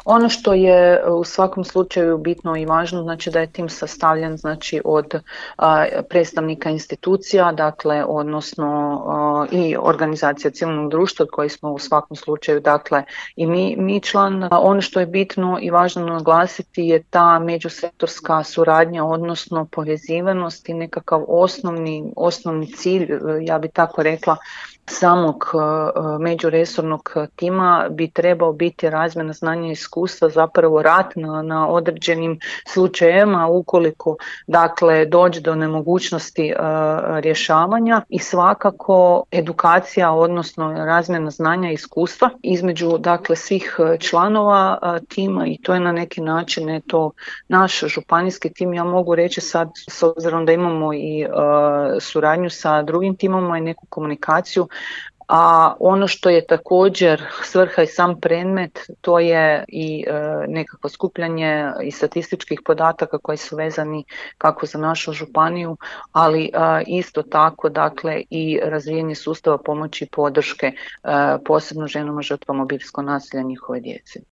Ono što je u svakom slučaju bitno i važno, znači da je tim sastavljen znači od predstavnika institucija, dakle odnosno i organizacija civilnog društva od kojih smo u svakom slučaju dakle i mi član. Ono što je bitno i važno naglasiti je ta međusektorska suradnja, odnosno povezivanost i nekakav osnovni cilj, ja bi tako rekla, samog međuresornog tima bi trebao biti razmjena znanja i iskustva, zapravo rad na određenim slučajevima ukoliko dakle dođe do nemogućnosti rješavanja i svakako edukacija, odnosno razmjena znanja i iskustva između dakle svih članova tima i to je na neki način to naš županijski tim. Ja mogu reći sad, s obzirom da imamo i suradnju sa drugim timama i neku komunikaciju, a ono što je također svrha i sam predmet, to je i nekakvo skupljanje i statističkih podataka koji su vezani kako za našu županiju, ali isto tako dakle i razvijanje sustava pomoći i podrške posebno ženama žrtvama obiteljskog nasilja i njihove djece.